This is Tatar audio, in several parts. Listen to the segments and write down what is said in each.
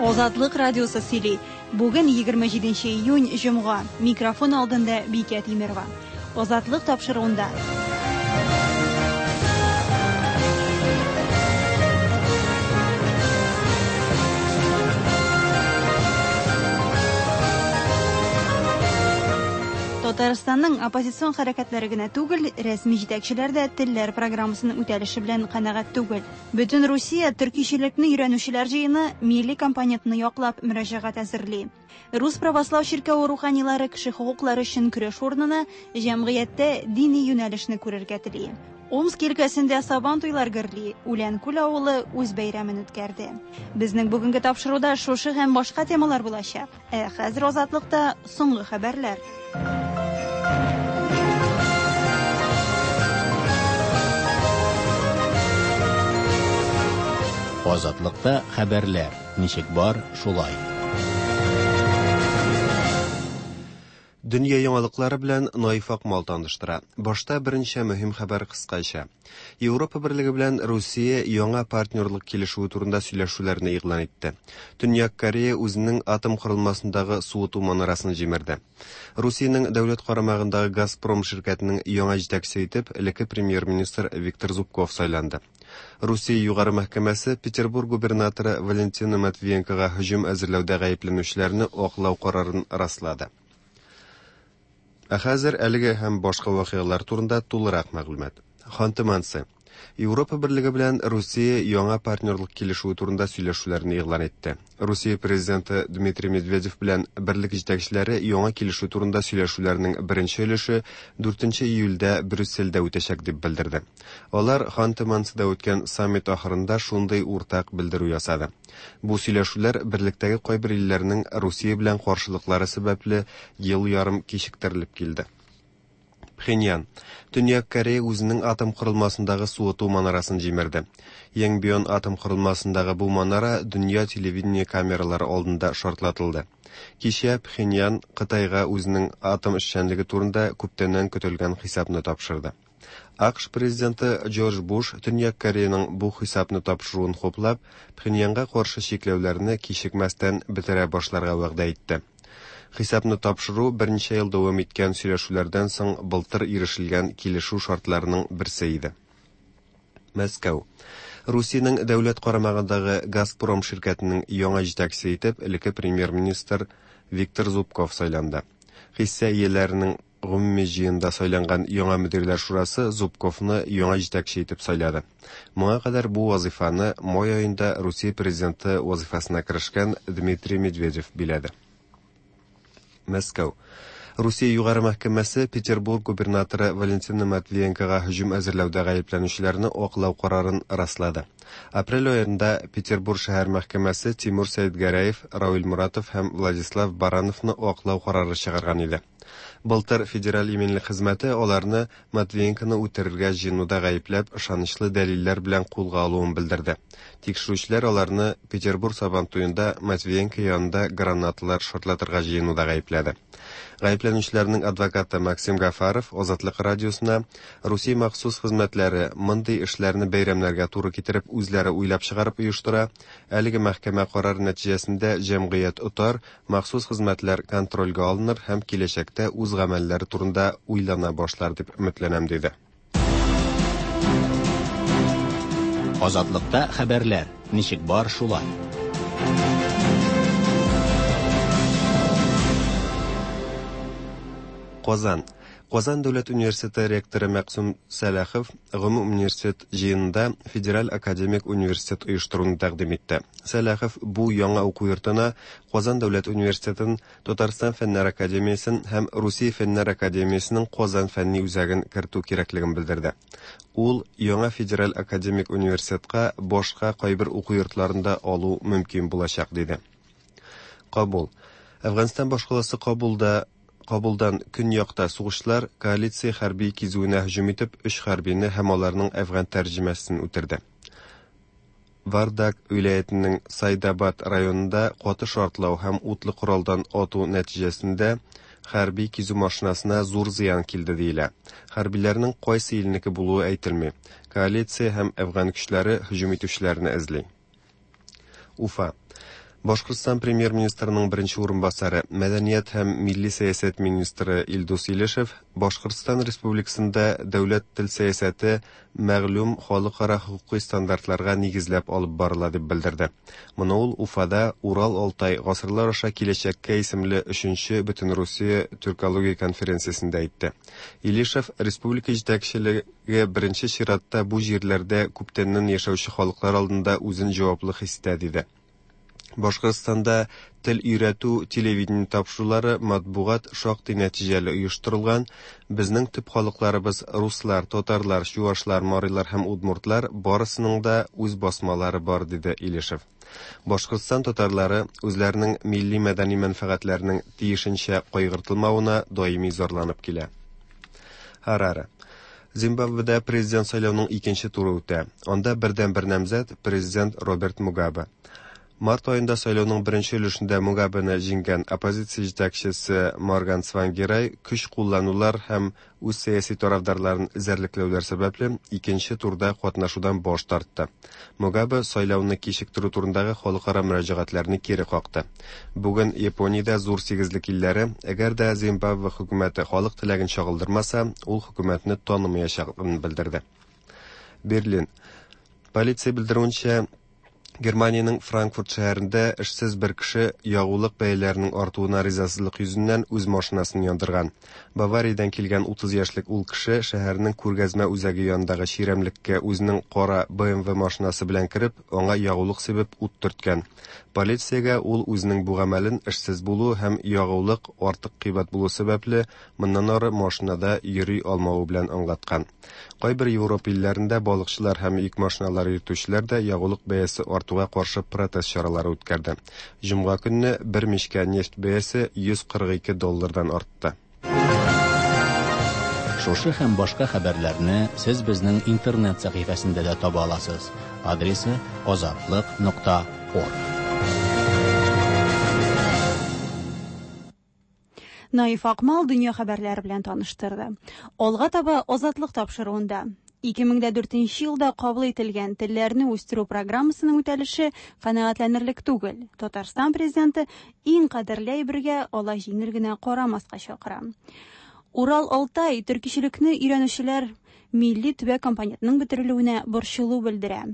Азатлык радиосы сөйли. Бүген 27 июнь, җомга. Микрофон алдында Бикә Тимерова. Азатлык тапшыруында. Татарстанның оппозицион хәрәкәтләре генә түгел, рәсми җитәкчеләр дә телләр программасының үтәлеше белән канәгать түгел. Бөтен Русия төркичелекне өйрәнүчеләр җыены милли компонентны яклап мөрәҗәгать әзерли. Рус православ чиркәве руханилары кеше хокуклары өчен көрәш урынына җәмгыятьтә дини юнәлешне күрергә тели. Омск өлкәсендә Сабан туйлар гөрли, Үләнкүл авылы үз бәйрәмен үткәрде. Безнең бүгенге тапшыруда шушы һәм башка темалар булачак. Ә хәзер Азатлыкта соңгы хәбәрләр. Азатлыкта хәбәрләр, ничек бар, шулай. Дөнья яңалыклары белән Наиф Акмал таныштыра. Башта берничә мөһим хәбәр кыскача. Европа Берлеге белән Русия яңа партнерлык килешүе турында сөйләшүләрне игълан итте. Төньяк Корея үзенең атом корылмасындагы суыту манарасын җимерде. Русиянең дәүләт карамагындагы Газпром ширкәтенең яңа җитәкчесе итеп элекке премьер-министр Виктор Зубков сайланды. Русия Югары мәхкәмәсе Петербург губернаторы Валентина Матвиенкога һөҗүм әзерләүдә гаепләнүчеләрне аклау карарын раслады. Ә хәзер әлеге һәм башка вакыйгалар турында тулырак мәгълүмат. Ханты-Мансы. Европа Берлеге белән Русия яңа партнерлык килешүе турында сөйләшүләрне игълан итте. Русия президенты Дмитрий Медведев белән берлек җитәкчеләре яңа килешү турында сөйләшүләрнең беренче өлеше 4 июльдә Брюссельдә үтәчәк дип белдерде. Алар Ханты-Мансыда үткән саммит ахырында шундый уртак белдерү ясады. Бу сөйләшүләр берлектәге кайбер илләрнең Русия белән каршылыклары сәбәпле ел ярым кичектерелеп килде. Пхеньян. Төньяк Корея үзенең атом корылмасындагы суыту манарасын җимерде. Йонгбьон атом корылмасындагы бу манара дөнья телевидение камералары алдында шартлатылды. Кичә Пхеньян Кытайга үзенең атом эшчәнлеге турында күптәннән көтелгән хисапны тапшырды. АКШ президенты Джордж Буш Төньяк Кореяның бу хисапны тапшыруын хуплап, Пхеньянга каршы чикләүләрне кичекмәстән бетерә башларга вәгъдә итте. Хисапны тапшыру берничә ел дәвам иткән сөйләшүләрдән соң былтыр ирешелгән килешү шартларының берсе иде. Мәскәү. Русиянең дәүләт карамагындагы Газпром ширкәтенең яңа җитәкчесе итеп элекке премьер-министр Виктор Зубков сайланды. Хисса ияләренең Гомуми җыенда сайланган яңа мөдирләр шурасы Зубковны яңа җитәкче итеп сайлады. Моңа кадәр бу вазыйфаны май аенда Русия президенты вазыйфасына керешкән Дмитрий Медведев биләде. Мәскәү. Русия Югары мәхкәмәсе Петербург губернаторы Валентина Матвиенкога һөҗүм әзерләүдә гаепләнүчеләрне аклау карарын раслады. Апрель аенда Петербург шәһәр мәхкәмәсе Тимур Сәетгәрәев, Равил Муратов һәм Владислав Барановны аклау карары чыгарган иде. Былтыр Федераль иминлек хезмәте аларны Матвиенконы үтерергә җыенуда гаепләп ышанычлы дәлилләр белән кулга алуын белдерде. Тикшерүчеләр аларны Петербург Сабантуенда Матвиенко янында гранаталар шартлатырга җыенуда гаепләде. Гаепләнүчеләрнең адвокаты Максим Гафаров Азатлык радиосына Русия махсус хезмәтләре мондый эшләрне бәйрәмнәргә туры китереп үзләре уйлап чыгарып оештыра, әлеге мәхкәмә карары нәтиҗәсендә җәмгыять отар, Махсус хезмәтләр контрольгә алыныр һәм киләчәктә үз гамәлләре турында уйлана башлар дип өметләнәм, диде. Азатлыкта хәбәрләр, ничек бар шулай. Казан. Казан дәүләт университеты ректоры Мәкъсүм Сәлахов гомум университет җыенында Федераль академик университет оештыруны тәкъдим итте. Сәлахов бу яңа уку йортына Казан дәүләт университетын, Татарстан Фәннәр академиясен һәм Русия Фәннәр академиясенең Казан фәнни үзәген кертү кирәклеген белдерде. Ул яңа федераль академик университетка башка кайбер уку йортларын да алу мөмкин булачак, диде. Кабул. Әфганстан башкаласы Кабулда Кабулдан көньякта сугышчылар коалиция хәрби кизүенә һөҗүм итеп, өч хәрбине һәм аларның әфган тәрҗемәчесен үтерде. Вардак вилаятенең Сайдабад районында каты шартлау һәм утлы коралдан ату нәтиҗәсендә хәрби кизү машинасына зур зыян килде диелә. Хәрбиләрнең кайсы илнеке булуы әйтелми. Коалиция һәм әфган көчләре һөҗүм итүчеләрне эзли. Уфа. Башкортстан премьер-министрының беренче урынбасары, мәдәният һәм милли сәясәт министры Илдус Илешев Башкортстан Республикасында дәүләт тел сәясәте мәгълүм халыкара хокукый стандартларга нигезләп алып барыла дип белдерде. Моны ул Уфада Урал-Алтай гасырлар аша киләчәккә исемле өченче Бөтенрусия тюркология конференциясендә әйтте. Илешев республика җитәкчелеге беренче чиратта бу җирләрдә күптәннән яшәүче халыклар алдында үзен җаваплы хис итә диде. Башкортстанда тел өйрәтү, телевидение тапшырулары, матбугат шактый нәтиҗәле оештырылган. Безнең төп халыкларыбыз руслар, татарлар, чуашлар, марилар һәм удмуртлар барысының да үз басмалары бар, диде Илешев. Башкортстан татарлары үзләренең милли-мәдәни мәнфәгатьләренең тиешенчә кайгыртылмавына даими зарланып килә. Хараре. Зимбабведа президент сайлауның икенче туры үтә. Анда бердәнбер намзәт президент Роберт Мугабе. Март аенда сайлауның беренче өлешендә Мугабены җиңгән оппозиция җитәкчесе Морган Цвангирай көч кулланулар һәм үз сәяси тарафдарларын эзәрлекләүләр сәбәпле икенче турда катнашудан баш тартты. Мугабе сайлауны кичектерү турындагы халыкара мөрәҗәгатьләрне кире какты. Бүген Япониядә зур сигезлек илләре, әгәр дә Зимбабве хөкүмәте халык теләген чагылдырмаса, ул хөкүмәтне танымаячагын белдерде. Берлин. Полиция белдерүенчә, Германиянең Франкфурт шәһәрендә эшсез бер кеше ягулык бәяләренең артуына ризасызлык йөзеннән үз машинасын яндырган. Бавариядән килгән 30 яшьлек ул кеше шәһәрнең күргәзмә үзәге янындагы чирәмлеккә үзенең кара BMW машинасы белән кереп, аңа ягулык сибеп ут төрткән. Полициягә ул үзенең бу гамәлен эшсез булу һәм ягулык артык кыйбат булу сәбәпле моннан ары машинада йөри алмавы белән аңлаткан. Кайбер Европа илләрендә балыкчылар һәм йөк машиналары йөртүчеләр дә ягулык бәясе артуга каршы протест чаралары үткәрде. Җомга көнне бер мичкә нефть бәясе 142 доллардан артты. Шушы һәм башка хәбәрләрне сез безнең интернет сәхифәсендә дә таба аласыз. Адресы azatliq.org. Наиф Акмал дөнья хәбәрләре белән таныштырды. Алга таба Азатлык тапшыруында 2004 елда кабул ителгән телләрне үстерү программасының үтәлеше канәгатьләнерлек түгел. Татарстан президенты иң кадерле әйбергә алай җиңел генә карамаска чакыра. Урал-Алтай төркичелекне өйрәнүчеләр милли төбәк компонентының бетерелүенә борчылу белдерә.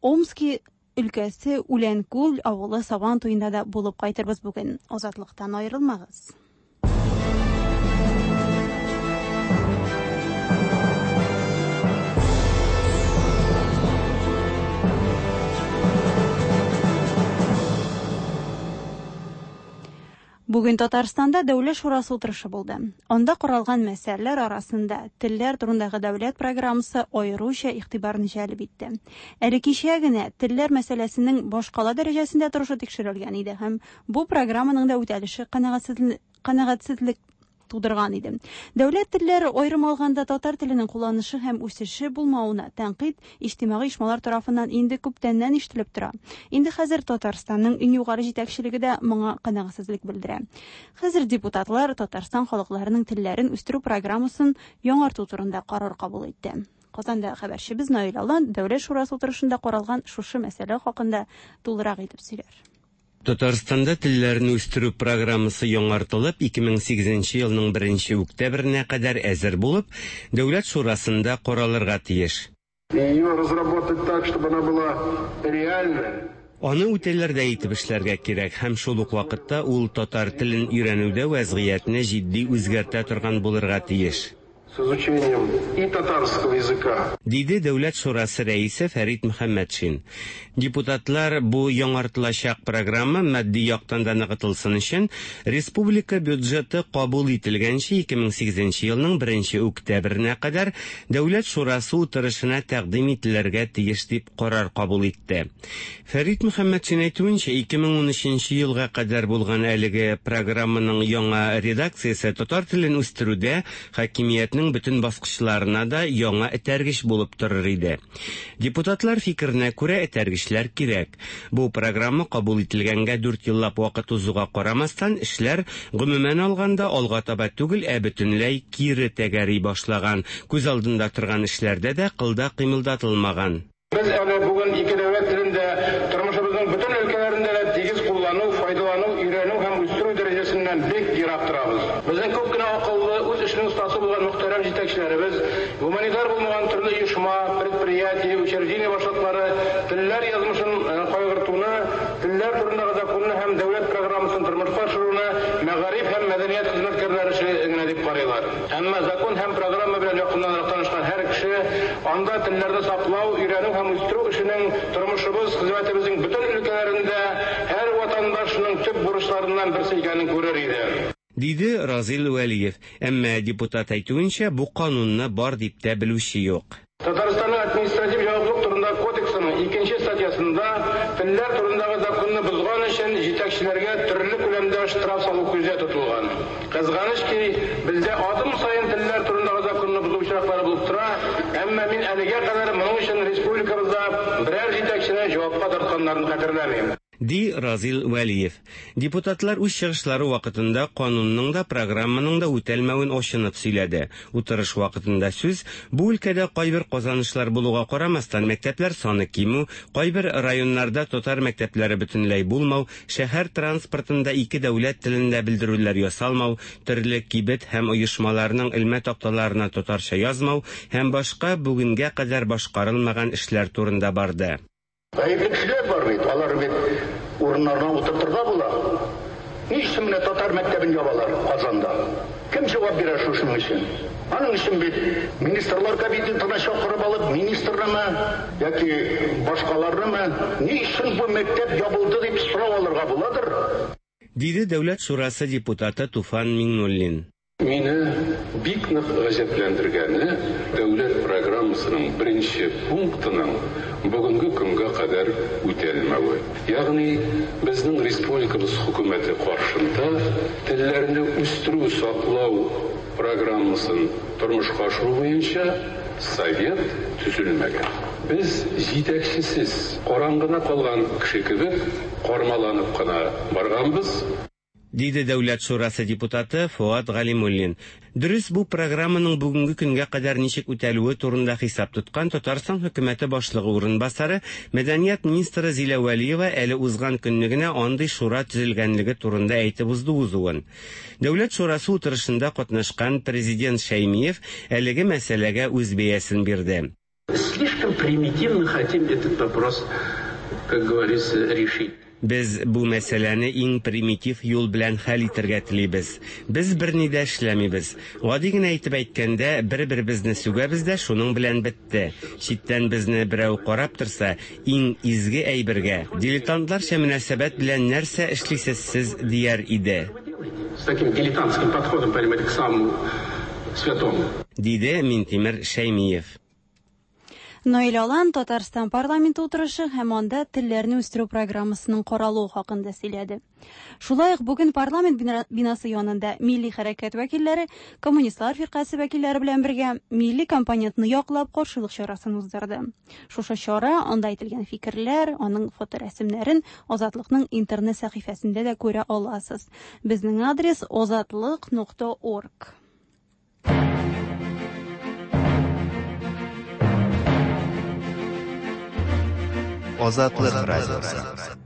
Омски өлкәсе Үләнкүл авылы Сабан туенда да булып кайтырбыз бүген. Азатлыктан аерылмагыз. Бүген Татарстанда Дәүләт шурасы утырышы булды. Анда каралган мәсьәләләр арасында телләр турындагы дәүләт программасы аеруча игътибарны җәлеп итте. Әле кичә генә телләр мәсьәләсенең башкала дәрәҗәсендә торышы тикшерелгән иде һәм бу программаның да үтәлеше канәгатьсезлек тудырган иде. Дәүләт телләре аерым алганда татар теленең кулланышы һәм үсеше булмавына тәнкыйть иҗтимагый оешмалар тарафыннан инде күптәннән ишетелеп тора. Инде хәзер Татарстанның иң югары җитәкчелеге дә моңа канәгатьсезлек белдерә. Хәзер депутатлар Татарстан халыкларының телләрен үстерү программасын яңарту турында карар кабул итте. Казанда хәбәрчебез Наил Алан Дәүләт шурасы утырышында каралган шушы мәсьәлә хакында тулырак итеп сөйләр. Татарстанда телләрне үстерү программасы яңартылып, 2008 елның 1 октябренә кадәр әзер булып, Дәүләт шурасында каралырга тиеш. Ее разработать так, чтобы она была реальная. Аны үтәләрдәй итеп эшләргә кирәк һәм шул ук вакытта ул татар телен өйрәнүдә вәзгыятьне җитди үзгәртә торган булырга тиеш. С изучением и татарского языка. Диде Дәүләт шурасы рәисе Фәрит Мөхәммәтшин. Депутатлар бу яңартылачак программа матди яктан да ныгытылсын өчен республика бюджеты кабул ителгәнче 2008 елның 1 октябренә кадәр Дәүләт шурасы утырышына тәкъдим ителергә тиеш дип карар кабул итте. Фәрит Мөхәммәтшин әйтүенчә, 2013 елга кадәр булган әлеге программаның яңа редакциясе татар телен үстерүдә хакимиятнең бөтен баскычларына да яңа этәргеч булып торыр иде. Депутатлар фикеренә күрә этәргечләр кирәк. Бу программа кабул ителгәнгә 4 еллап вакыт узуга карамастан, эшләр гомумән алганда алга таба түгел, ә бөтенләй кире тәгәри башлаган. Күз алдында торган эшләрдә дә кылда кыймылдатылмаган. Без әле бүген ике дәүләт телендә тормышыбызның бөтен өлкәләрендә дә Республиканың төрле оешма, предприятие, учреждение башлыклары телләр язмышын кайгыртуны, телләр турындагы законны һәм дәүләт программасын тормышка ашыруны мәгариф һәм мәдәният хезмәткәрләре эше генә дип карыйлар. Әмма закон һәм программа белән якыннанрак танышкан һәр кеше анда телләрне саклау, өйрәнү һәм үстерү эшенең тормышыбыз, хезмәтебезнең бөтен өлкәләрендә һәр ватандашның төп бурычларыннан берсе икәнен күрер иде. Диде Разил Вәлиев. Әмма депутат әйтүенчә, бу канунны бар дип тә белүче юк. Татарстанның административ җаваплылык турындагы кодексының икенче статьясында телләр турындагы законны бозган өчен җитәкчеләргә төрле күләмдә штраф салу күздә тотылган. Кызганыч ки, бездә адым саен телләр турындагы законны бозу очраклары булып тора, әмма мин әлегә кадәр моның өчен республикабызда берәр җитәкчене җавапка тартканнарын хәтерләмим. Ди Разил Вәлиев. Депутатлар үз чыгышлары вакытында канунның да, программаның да үтәлмәвен ачынып сөйләде. Утырыш вакытында сүз бу өлкәдә кайбер казанышлар булуга карамастан мәктәпләр саны кимү, кайбер районнарда татар мәктәпләре бөтенләй булмау, шәһәр транспортында ике дәүләт телендә белдерүләр ясалмау, төрле кибет һәм оешмаларның элмә такталарына татарча язмау һәм башка бүгенгә кадәр башкарылмаган эшләр турында барды. Гаепле кешеләр бар бит, алар бит урыннарына утыртырга була. Ни өчен менә татар мәктәбен ябалар Казанда? Кем җавап бирә шушының өчен? Аның өчен бит министрлар кабинетына чакырып алып, министрнымы яки башкаларнымы, ни өчен бу мәктәп ябылды дип сорау алырга буладыр? Диде Дәүләт шурасы депутаты Туфан Миңнуллин. Мине бик нык гаҗәпләндергәне дәүләт программасының беренче пунктының бүгенге көнгә кадәр үтәлмәве. Ягъни безнең республикабыз хөкүмәте каршында телләрне үстерү, саклау программасын тормышка ашыру буенча совет төзелмәгән. Без җитәкчесез, караңгыда калган кеше кебек кармаланып кына барганбыз. Диде Дәүләт шурасы депутаты Фоат Галимуллин. Дөрес, бу программаның бүгенге көнгә кадәр ничек үтәлүе турында хисап тоткан Татарстан хөкүмәте башлыгы урынбасары, мәдәният министры Зилә Вәлиева әле узган көнне генә андый шура төзелгәнлеге турында әйтеп узды узуын. Дәүләт шурасы утырышында катнашкан президент Шәймиев әлеге мәсьәләгә үз бәясен бирде. Слишком примитивно хотим этот вопрос, как говорится, решить. Без бу мәсьәләне иң примитив юл белән хәл итәргә телибез. Без берни дә эшләмибез. Гади генә әйтеп әйткәндә, бер-беребезне сүгәбез дә шуның белән бетте. Читтән безне берәү карап торса, иң изге әйбергә, дилетантларча мөнәсәбәт белән нәрсә эшлисез сез дияр иде. С таким дилетантским подходом, понимаете, к самому святому. Диде Минтимер Шәймиев. Наил Алан Татарстан парламенты утырышы һәм анда телләрне үстерү программасының каралуы хакында сөйләде. Шулай ук бүген парламент бинасы янында милли хәрәкәт вәкилләре, коммунистлар фиркасе вәкилләре белән бергә милли компонентны яклап каршылык чарасын уздырды. Шушы чара, анда әйтелгән фикерләр, аның фоторәсемнәрен Азатлыкның интернет сәхифәсендә дә күрә аласыз. Безнең адрес озатлык.org. Азатлык радиосы.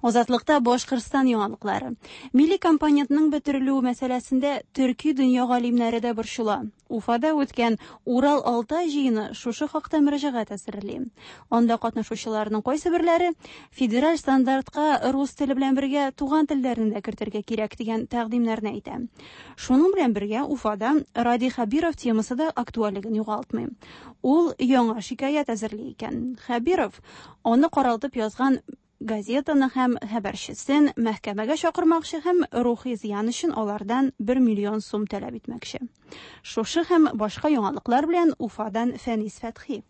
Азатлыкта Башкортстан яңалыклары. Милли компонентның бетерелүе мәсьәләсендә төрки дөнья галимнәре дә борчыла. Уфада үткән Урал-Алтай җыены шушы хакта мөрәҗәгать әзерли. Анда катнашучыларның кайсы берләре федераль стандартка рус теле белән бергә туган телләрне дә кертергә кирәк дигән тәкъдимнәрне әйтә. Шуның белән бергә Уфада Радий Хәбиров темасы да актуальлеген югалтмый. Ул яңа шикаять әзерли икән. Хәбиров аны каралтып язган газетаны һәм хәбәрчесен мәхкәмәгә чакырмакчы һәм рухи зыян өчен алардан 1 миллион сум таләп итмәкче. Шушы һәм башка яңалыклар белән Уфадан Фәнис Фәтхи.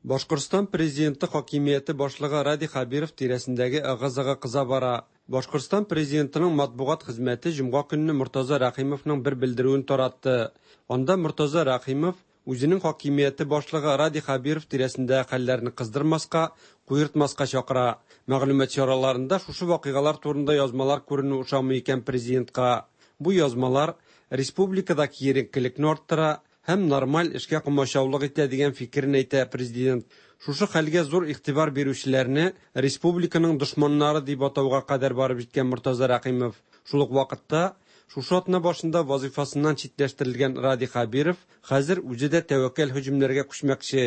Башкортстан президенты хакимияте башлыгы Радий Хәбиров тирәсендәге ыгы-зыгы кыза бара. Башкортстан президентының матбугат хезмәте җомга көнне Мортаза Рәхимовның бер белдерүен таратты. Анда Мортаза Рәхимов үзенең хакимияте башлыгы Радий Хәбиров тирәсендәге хәлләрне кыздырмаска, куертмаска чакыра. Мәгълүмат чараларында шушы вакыйгалар турында язмалар күренү ошамый икән президентка. Бу язмалар республикада киеренкелекне арттыра һәм нормаль эшкә комачаулык итә дигән фикерен әйтә президент. Шушы хәлгә зур игътибар бирүчеләрне республиканың дошманнары дип атауга кадәр барып җиткән Мортаза Рәхимов. Шул ук вакытта Шушы атна башында вазыйфасыннан читләштерелгән Радий Хәбиров хәзер үзе дә тәвәккәл һөҗүмнәргә күчмәкче.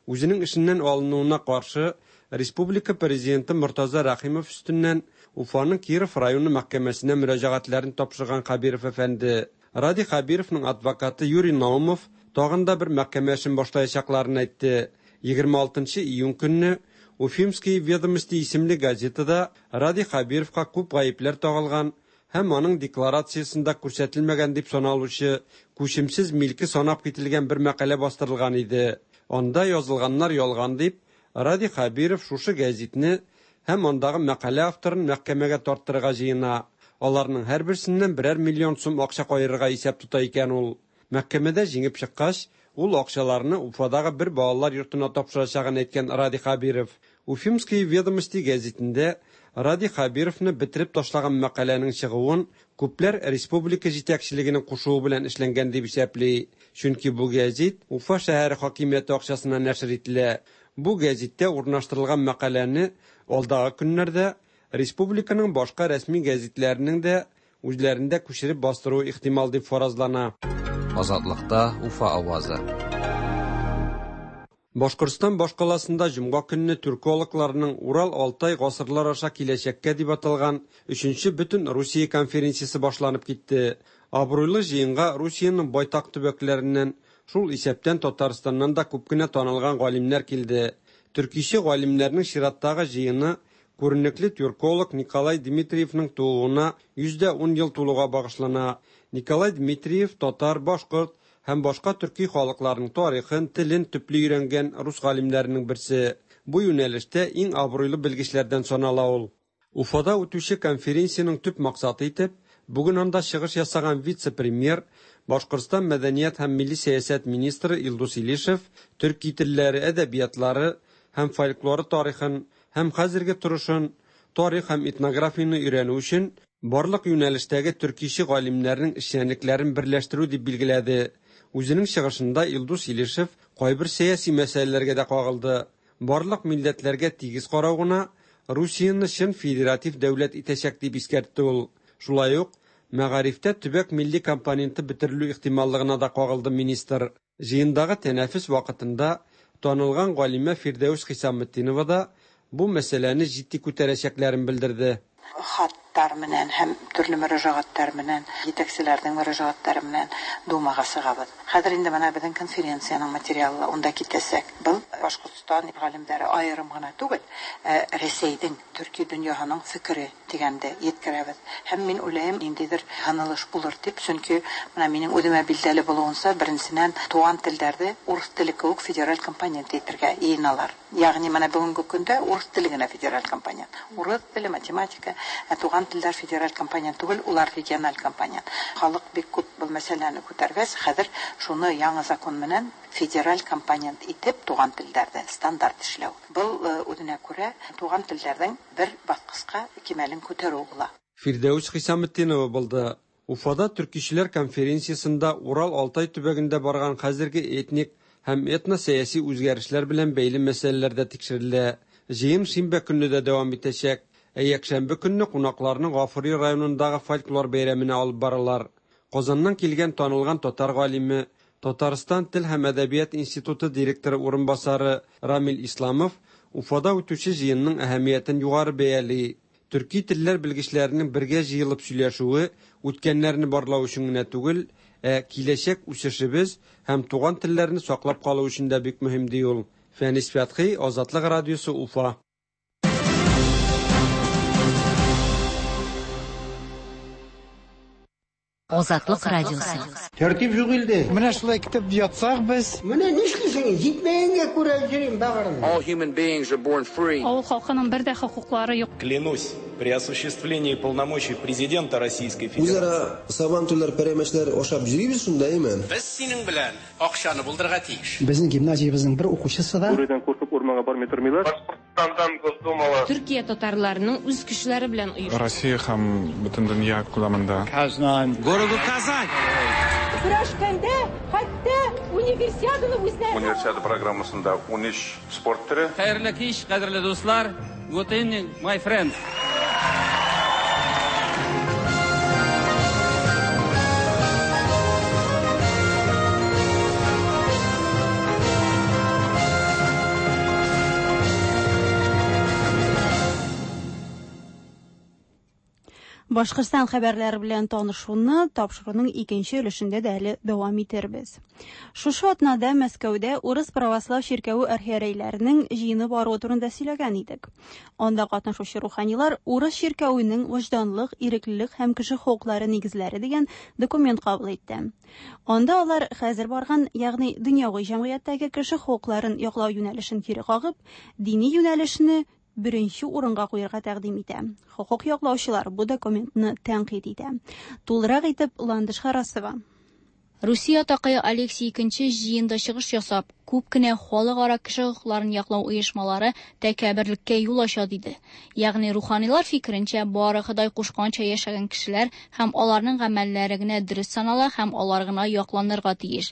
Үзенең эшеннән алынуына каршы республика президенты Мортаза Рәхимов өстеннән Уфаның Киров районы мәхкәмәсенә мөрәҗәгатьләрен тапшырган Хәбиров әфәнде. Радий Хәбировның адвокаты Юрий Наумов тагын да бер мәхкәмә эшен башлаячакларын әйтте. 26 июнь көнне Уфимские ведомости исемле газетада Радий Хәбировка күп гаепләр тагылган һәм аның декларациясендә күрсәтелмәгән дип саналучы күчемсез милке санап кителгән бер мәкалә бастырылган иде. Анда язылганнар ялган дип, Радий Хәбиров шушы гәзитне һәм андагы мәкалә авторын мәхкәмәгә тарттырырга җыена. Аларның һәрберсеннән берәр миллион сум акча каерырга исәп тота икән ул. Мәхкәмәдә җиңеп чыккач, ул акчаларны Уфадагы бер балалар йортына тапшырачагын әйткән Радий Хәбиров. Уфимские ведомости гәзитендә Радий Хәбировны бетереп ташлаган мәкаләнең чыгуын күпләр республика җитәкчелегенең кушуы белән эшләнгән дип исәпли. Чөнки бу гәзит Уфа шәһәре хакимияте акчасына нәшер ителә. Бу гәзиттә урнаштырылган мәкаләне алдагы көннәрдә республиканың башка рәсми гәзитләренең дә үзләрендә күчереп бастыруы ихтимал дип фаразлана. Азатлыкта Уфа авазы. Башкортстан башкаласында җомга көнне тюркологларның Урал-Алтай гасырлар аша киләчәккә дип аталган өченче бөтен Русия конференциясе башланып китте. Абруйлы җыенга Русиянең байтак төбәкләреннән, шул исәптән Татарстаннан да күп кенә танылган галимнәр килде. Төркиче галимнәрнең чираттагы җыены күренекле тюрколог Николай Дмитриевның тууына 110 ел тулуга багышлана. Николай Дмитриев татар, башкорт һәм башка төрки халыкларның тарихын, телен төпле өйрәнгән рус галимнәренең берсе. Бу юнәлештә иң абруйлы белгечләрдән санала ул. Уфада үтүче конференциянең төп максаты итеп, бүген анда чыгыш ясаган вице-премьер, Башкортстан мәдәният һәм милли сәясәт министры Илдус Илишев төрки телләре, әдәбиятлары һәм фольклоры тарихын һәм хәзерге торышын, тарих һәм этнографияне өйрәнү өчен барлык юнәлештәге төркиче галимнәрнең эшчәнлекләрен берләштерү дип билгеләде. Үзенең чыгышында Илдус Илишев кайбер сәяси мәсьәләләргә дә кагылды. Барлык милләтләргә тигез карау гына Русияне чын федератив дәүләт итәчәк дип искәртте ул. Шулай ук мәгарифтә төбәк милли компоненты бетерелү ихтималлыгына да кагылды министр. Җыендагы тәнәфес вакытында танылган галимә Фирдәүс Хисаметдинова да бу мәсьәләне җитди күтәрәчәкләрен белдерде. Хаттар менән һәм төрле мөрәҗәгатьләр менән, җитәкчеләрнең мөрәҗәгатьләре менән Думага чыгабыз. Хәзер инде менә безнең конференциянең материалы унда китәсәк. Был Башкортстан галимнәре аерым гына түгел, ә Рәсәйнең, төрки дөньяһының фикере дигәндә еткерәбез. Һәм мин уйлыйм, ниндидер һынылыш булыр дип, чөнки менә минем үземә билгеле булуынча, беренчедән, туган телләрдә урыс теле кебек федераль компонент итәргә йыйыналар. Ягъни менә бүгенге көндә урыс теле генә федераль компонент. Урыс теле, математика, ә туган телләр федераль компонент түгел, улар региональ компонент. Халык бик күп был мәсьәләне күтәргәч, хәзер шуны яңа закон менән федераль компонент итеп туган телләрдә стандарт эшләү. Был үзенә күрә туган телләрнең бер баскычка кимәлен күтәрү була. Фирдәүс Хисаметдинова булды. Уфада төркичеләр конференциясендә Урал-Алтай төбәгендә барган хәзерге этник һәм этносәяси үзгәрешләр белән бәйле мәсьәләләр дә тикшерелә. Җыен шимбә көнне дә дәвам итәчәк. Ә якшәмбе көнне кунакларны Гафури районындагы фольклор бәйрәменә алып баралар. Казаннан килгән танылган татар галиме, Татарстан тел һәм әдәбият институты директоры урынбасары Рамил Исламов Уфада үтүче җыенның әһәмиятен югары бәяли. Төрки телләр белгечләренең бергә җыелып сөйләшүе үткәннәрне барлау өчен генә түгел, ә киләчәк үсешебез һәм туган телләрне саклап калу өчен дә бик мөһим ди ул. Фәнис Фәтхи, Азатлык радиосы, Уфа. Азатлык радиосы. Тәртип юк илдә. Менә шулай көтеп ятсак без. Менә нишлисең? Җитмәгәнгә күрә йөрим бәгырем. All human beings are born free. Авыл халкының бер дә хокуклары юк. Клянусь, при осуществлении полномочий президента Российской Федерации. Үзара сабантуйлар, пәрәмәчләр ашап йөрибез шунда, әйме? Без синең белән акчаны булдырырга тиеш. Безнең гимназиябезнең бер укучысы да Бүредән куркып урманга бармый тормыйлар. Башкортстандан Госдумала. Төркия татарларының үз көчләре белән оештырды. Россия һәм бөтен дөнья күләмендә. Казань. Городу Казань. Көрәшкәндә хәтта универсиаданы үзләре. Универсиада программасында 13 спорт төре. Хәерле кич, кадерле дуслар. Good evening, my friends. Башкортстан хәбәрләре белән танышуны тапшыруның икенче өлешендә дә әле дәвам итербез. Шушы атнада Мәскәүдә Урыс православ чиркәве архиерейләренең җыены баруы турында сөйләгән идек. Анда катнашучы руханилар Урыс чиркәвенең вөҗданлык, иреклелек һәм кеше хокуклары нигезләре дигән документ кабул итте. Анда алар хәзер барган, ягъни дөньяви җәмгыятьтәге кеше хокукларын яклау юнәлешен кире кагып, дини юнәлешне беренче урынга куярга тәкъдим итә. Хокук яклаучылар бу документны тәнкыйть итә. Тулырак итеп Ландыш Харасова. Русия атакае Алексий II җыенда чыгыш ясап, күп кенә халыкара кеше хокукларын яклау оешмалары тәкәбберлеккә юл ача диде. Ягъни руханилар фикеренчә, бары Ходай кушканча яшәгән кешеләр һәм аларның гамәлләре генә дөрес санала һәм алар гына якланырга тиеш.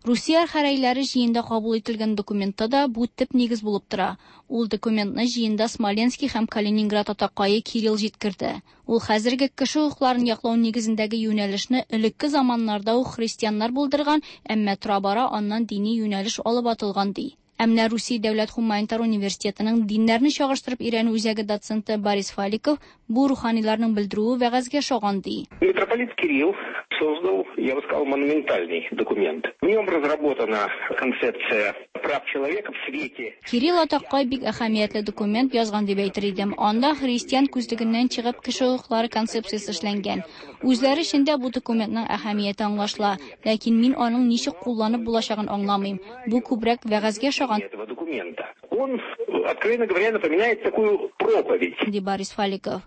Русия архиерейләре җыенда кабул ителгән документта да бу төп нигез булып тора. Ул документны җыенда Смоленский һәм Калининград атакае Кирилл җиткерде. Ул хәзерге кеше хокукларын яклау нигезендәге юнәлешне элекке заманнарда ук христианнар булдырган, әмма тора-бара аннан дини юнәлеш алып атылган ди. Ә менә Русия дәүләт һуманитар университетының диннәрне чагыштырып өйрәнү үзәге доценты Борис Фаликов бу руханиларның белдерүе вәгазьгә ошаган ди. Митрополит Кирилл создал, я бы сказал, монументальный документ. В нем разработана концепция прав человека в свете. Кирилл атакай бик әһәмиятле документ язган дип әйтер идем. Анда христиан күзлегеннән чыгып кеше хокуклары концепциясе эшләнгән. Үзләре эчендә бу документның әһәмияте аңлашыла, ләкин мин аның ничек кулланып булачагын аңламыйм. Бу күбрәк вәгазьгә ошаган. Этого документа. Он, откровенно говоря, напоминает такую проповедь. Ди Борис Фаликов.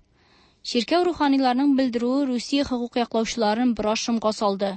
Чиркәү руханиларының белдерүе Русия хокук яклаучыларын бераз шомга салды.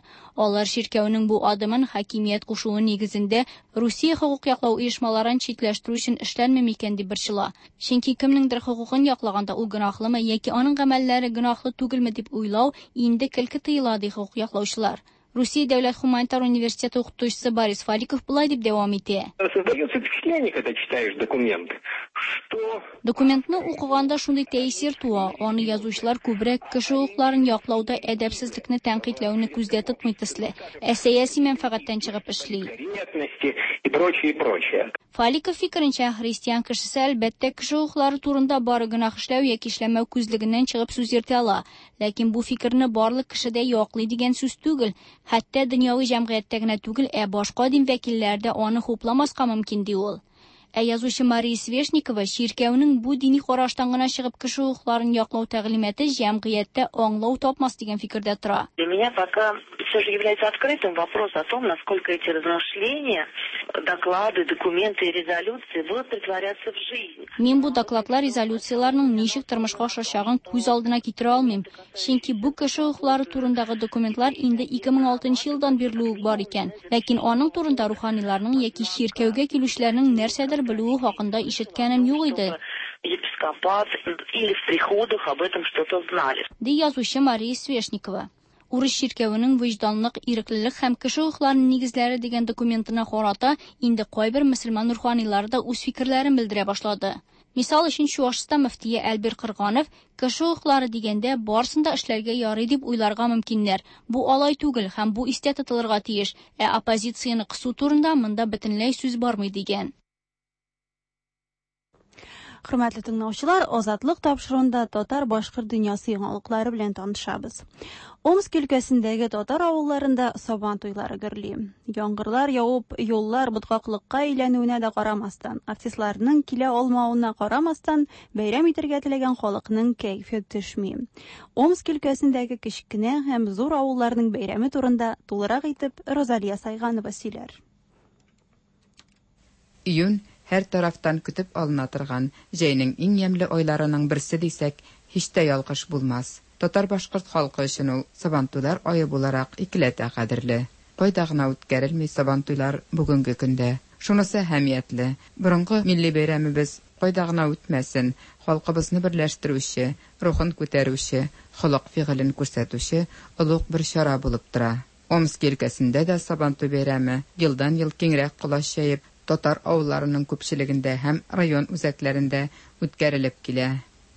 Алар чиркәүнең бу адымын хакимият кушуы нигезендә Русия хокук яклау оешмаларын читләштерү өчен эшләнми микән дип борчыла. Чөнки кемнеңдер хокукын яклаганда ул гөнаһлымы яки аның гамәлләре гөнаһлы түгелме дип уйлау инде көлке тыела, ди хокук яклаучылар. Русия дәүләт һуманитар университеты укытучысы Борис Фаликов болай дип дәвам итә. Создается впечатление, когда читаешь документ, что Документны укыганда шундый тәэсир туа, аны язучылар күбрәк кеше хокукларын яклауда әдәпсезлекне тәнкыйтьләүне күздә тотмый төсле, ә сәяси мәнфәгатьтән чыгып эшли. корректности и прочее, и прочее. Фаликов фикеренчә, христиан кешесе әлбәттә кеше хокуклары турында бары гөнаһ эшләү яки эшләмәү күзлегеннән чыгып сүз йөртә ала. Ләкин бу фикерне барлык кеше дә яклый дигән сүз түгел. Хәтта дөньяви җәмгыятьтә генә түгел, ә башка дин вәкилләре дә аны хупламаска мөмкин, ди ул. Ә язучы Мария Свешникова чиркәүнең бу дини караштан гына чыгып кеше хокукларын яклау тәгълиматы җәмгыятьтә аңлау тапмас дигән фикердә тора. Для меня пока все же является открытым вопрос о том, насколько эти размышления, доклады, документы и резолюции будут претворяться в жизнь. Мин бу докладлар, резолюцияләрнең ничек тормышка ашачагын күз алдына китерә алмыйм. Чөнки бу кеше хокуклары турындагы документлар инде 2006 елдан бирле үк бар икән. Ләкин аның турында руханиларның яки чиркәүгә килүчеләрнең нәрсәдер белүе хакында ишеткәнем юк иде. Епископат или в приходах об этом что-то знали. Ди язучы Мария Свешникова. Урыс чиркәвенең вөҗданлык, иреклелек һәм кеше хокукларының нигезләре дигән документына карата инде кайбер мөселман руханилары да үз фикерләрен белдерә башлады. Мисал өчен, Чуашстан мөфтие Әлбир Кырганов кеше хокуклары дигәндә барысын да эшләргә ярый дип уйларга мөмкиннәр. Бу алай түгел һәм бу истә тотылырга тиеш, ә оппозицияне кысу турында монда бөтенләй сүз бармый дигән. Хөрмәтле тыңлаучылар, Азатлык тапшыруында татар-башкорт дөньясы яңалыклары белән танышабыз. Омск өлкәсендәге татар авылларында сабан туйлары гөрли. Яңгырлар явып, юллар боткаклыкка әйләнүенә дә карамастан, артистларның килә алмавына карамастан, бәйрәм итәргә теләгән халыкның кәефе төшми. Омск өлкәсендәге кечкенә һәм зур авылларның бәйрәме турында тулырак итеп Розалия Сайганова сөйләр. Июнь һәр тарафтан көтеп алына торган җәйнең иң ямьле айларының берсе дисәк, һич тә ялгыш булмас. Татар-башкорт халкы өчен ул Сабантуйлар ае буларак икеләтә кадерле. Кайда гына үткәрелми Сабантуйлар бүгенге көндә. Шунысы әһәмиятле, борынгы милли бәйрәмебез кайда гына үтмәсен, халкыбызны берләштерүче, рухын күтәрүче, холык-фигылен күрсәтүче олуг бер чара булып тора. Омск өлкәсендә дә Сабантуй бәйрәме елдан-ел киңрәк колач җәеп, татар авылларының күпчелегендә һәм район үзәкләрендә үткәрелеп килә.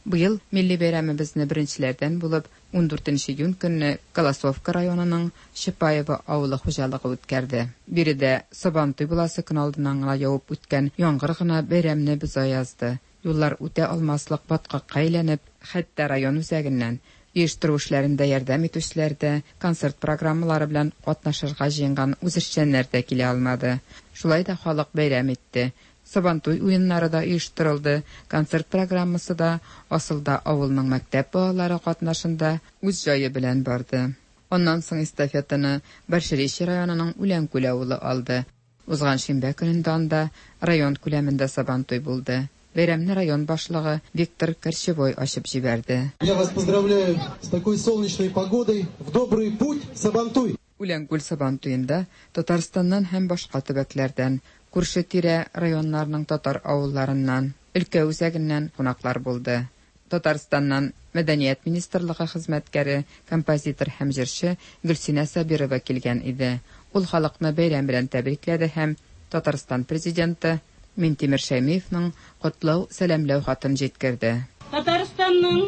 Быел милли бәйрәмебезне беренчеләрдән булып 14 июнь көнне Колосовка районының Чапаево авылы хуҗалыгы үткәрде. Биредә Сабантуй буласы көн алдыннан гына явып үткән яңгыр гына бәйрәмне боза язды. Юллар үтә алмаслык баткакка әйләнеп, хәтта район үзәгеннән Оештыру эшләрендә ярдәм итүчеләр дә, концерт программалары белән катнашырга җыенган үзешчәннәр дә килә алмады. Шулай да халык бәйрәм итте. Сабантуй уеннары да оештырылды, концерт программасы да асылда авылның мәктәп балалары катнашында үз җае белән барды. Аннан соң эстафетаны Большеречье районының Үләнкүл авылы алды. Узган шимбә көнендә анда район күләмендә Сабантуй булды. Бәйрәмне район башлыгы Виктор Корчевой ачып җибәрде. Я вас поздравляю с такой солнечной погодой. В добрый путь, Сабантуй! Үләнкүл Сабантуенда Татарстаннан һәм башка төбәкләрдән, күрше-тирә районнарның татар авылларыннан, өлкә үзәгеннән кунаклар булды. Татарстаннан Мәдәният министрлыгы хезмәткәре, композитор һәм җырчы Гөлсинә Сабирова килгән иде. Ул халыкны бәйрәм белән тәбрикләде һәм Татарстан Президенты Минтимер Шәймиевның котлау-сәламләү хатын җиткерде. Татарстанның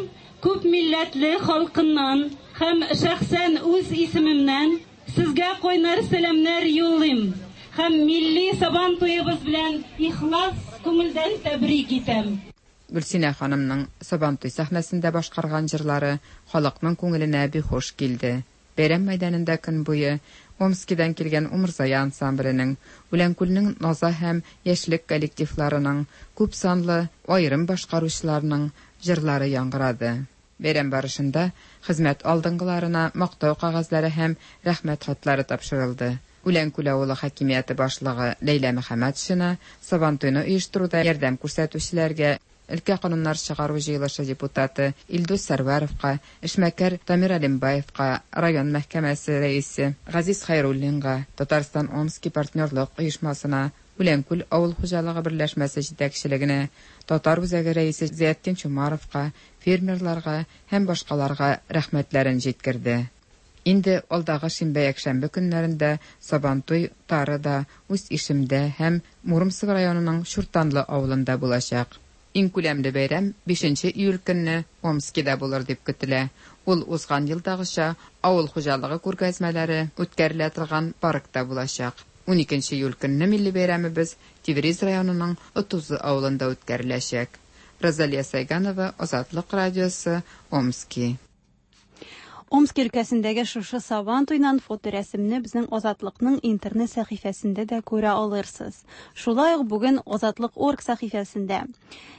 күпмилләтле халкыннан һәм шәхсән үз исемемнән сезгә кайнар сәламнәр юллыйм һәм милли Сабан туебыз белән ихлас күңелдән тәбрик итәм. Гөлсинә ханымның Сабантуй сәхнәсендә башкарган җырлары халыкның күңеленә бик хуш килде. Бәйрәм мәйданында көн буе Омскидан килгән Умырзая ансамбленең, Үләнкүлнең Наза һәм Яшьлек коллективларының, күп санлы аерым башкаручыларның җырлары яңгырады. Бәйрәм барышында хезмәт алдынгыларына мактау кәгазьләре һәм рәхмәт хатлары тапшырылды. Үләнкүл авылы хакимияте башлыгы Ләйлә Мөхәммәтшина Сабантуйны оештыруда ярдәм күрсәтүчеләргә өлкә кануннар чыгару җыелышы депутаты Илдус Сәрвәровка, эшмәкәр Дамир Алимбаевка, район мәхкәмәсе рәисе Газиз Хәйруллинга, Татарстан-Омски партнерлык оешмасына, Үләнкүл авыл хуҗалыгы берләшмәсе җитәкчелегенә, Татар үзәге рәисе Зиятдин Чумаровка, фермерларга һәм башкаларга рәхмәтләрен җиткерде. Инде алдагы шимбә-якшәмбе көннәрендә Сабантуй Тарыда, Усть-Ишемдә һәм Муромцево районының Чуртанлы авылында булачак. Иң күләмле бәйрәм 5 июль көнне Омскида булыр дип көтелә. Ул узган елдагыча авыл хуҗалыгы күргәзмәләре үткәрелә торган паркта булачак. 12 июль көнне милли бәйрәмебез Тевриз районының Отузы авылында үткәреләчәк. Розалия Сайганова, Азатлык радиосы, Омски. Омски өлкәсендәге шушы Сабан туйнан фоторәсемне безнең Азатлыкның интернет сәхифәсендә дә күрә алырсыз. Шулай ук бүген Азатлык орг сәхифәсендә.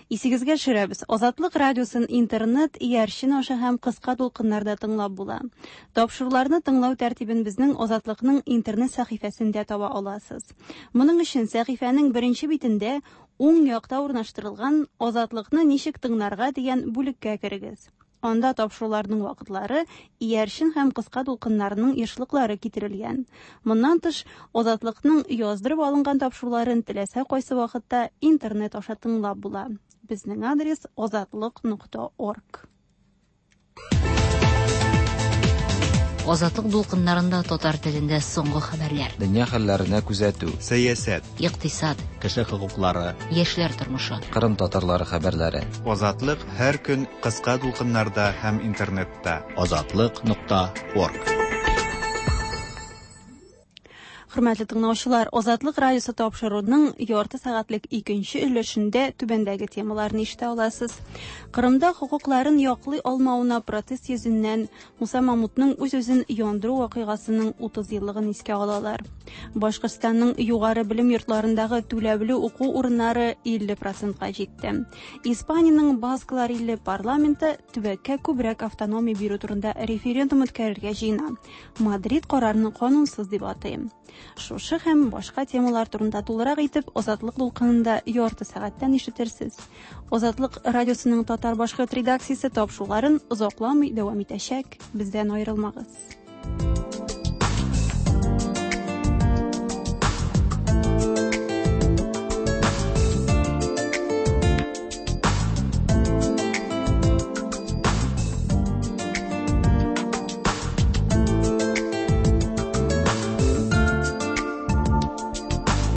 Исегезгә төшерәбез, Азатлык радиосын интернет иярчен аша һәм кыска дулкыннарда тыңлап була. Тапшыруларны тыңлау тәртибен безнең Азатлыкның интернет сәхифәсендә таба аласыз. Моның өчен сәхифәнең беренче битендә уң якта урнаштырылган Азатлыкны ничек тыңларга дигән бүлеккә керегез. Анда тапшыруларның вакытлары, иярчен һәм кыска дулкыннарның ешлыклары китерелгән. Моннан тыш, Азатлыкның яздырып алынган тапшыруларын теләсә кайсы вакытта интернет аша тыңлап була. Безнең адрес azatliq.org. Азатлык дулкыннарында татар телендә соңгы хәбәрләр. Дөнья хәлләренә күзәтү. Сәясәт. Икътисад. Кеше хокуклары. Яшьләр тормышы. Кырым татарлары хәбәрләре. Азатлык һәр көн кыска дулкыннарда һәм интернетта. Азатлык.орг. Хөрмәтле тыңлаучылар, Азатлык радиосы тапшыруының ярты сәгатьлек икенче өлешендә түбәндәге темаларны ишетә аласыз. Кырымда хокукларын яклый алмавына протест йөзеннән Муса Мамутның үз-үзен яндыру вакыйгасының 30 еллыгын искә алалар. Башкортстанның югары белем йортларындагы түләүле уку урыннары 50%ка җитте. Испаниянең Басклар иле парламенты төбәккә күбрәк автономия бирү турында референдум үткәрергә җыена. Мадрид карарны канунсыз дип атый. Шушы һәм башка темалар турында тулырак итеп Азатлык дулкынында ярты сәгатьтән ишетерсез. Азатлык радиосының татар башкорт редакциясе тапшыруларын озакламый дәвам итәчәк. Бездән аерылмагыз.